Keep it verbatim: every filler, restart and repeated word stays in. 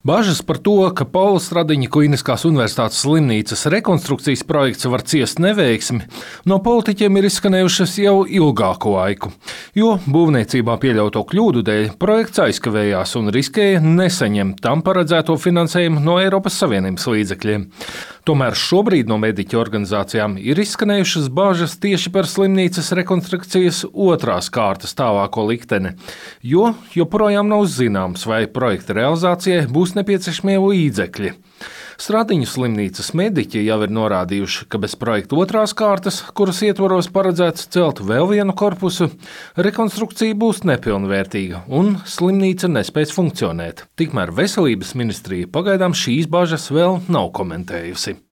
Bažas par to, ka Paula Stradiņa Kliniskās Universitātes slimnīcas rekonstrukcijas projekts var ciest neveiksmi, no politiķiem ir izskanējušas jau ilgāku laiku, jo būvniecībā pieļauto kļūdu dēļ projekts aizkavējās un riskēja nesaņemt tam paredzēto finansējumu no Eiropas Savienības līdzekļiem. Tomēr šobrīd no mediķu organizācijām ir izskanējušas bažas tieši par slimnīcas rekonstrukcijas otrās kārtas tālāko likteni, jo joprojām nav zināms, vai projekta realizācijai būs nepieciešamie līdzekļi. Stradiņu slimnīcas mediķi jau ir norādījuši, ka bez projekta otrās kārtas, kuras ietvaros paredzēts celt vēl vienu korpusu, rekonstrukcija būs nepilnvērtīga un slimnīca nespēs funkcionēt. Tikmēr Veselības ministrija pagaidām šīs bažas vēl nav komentējusi.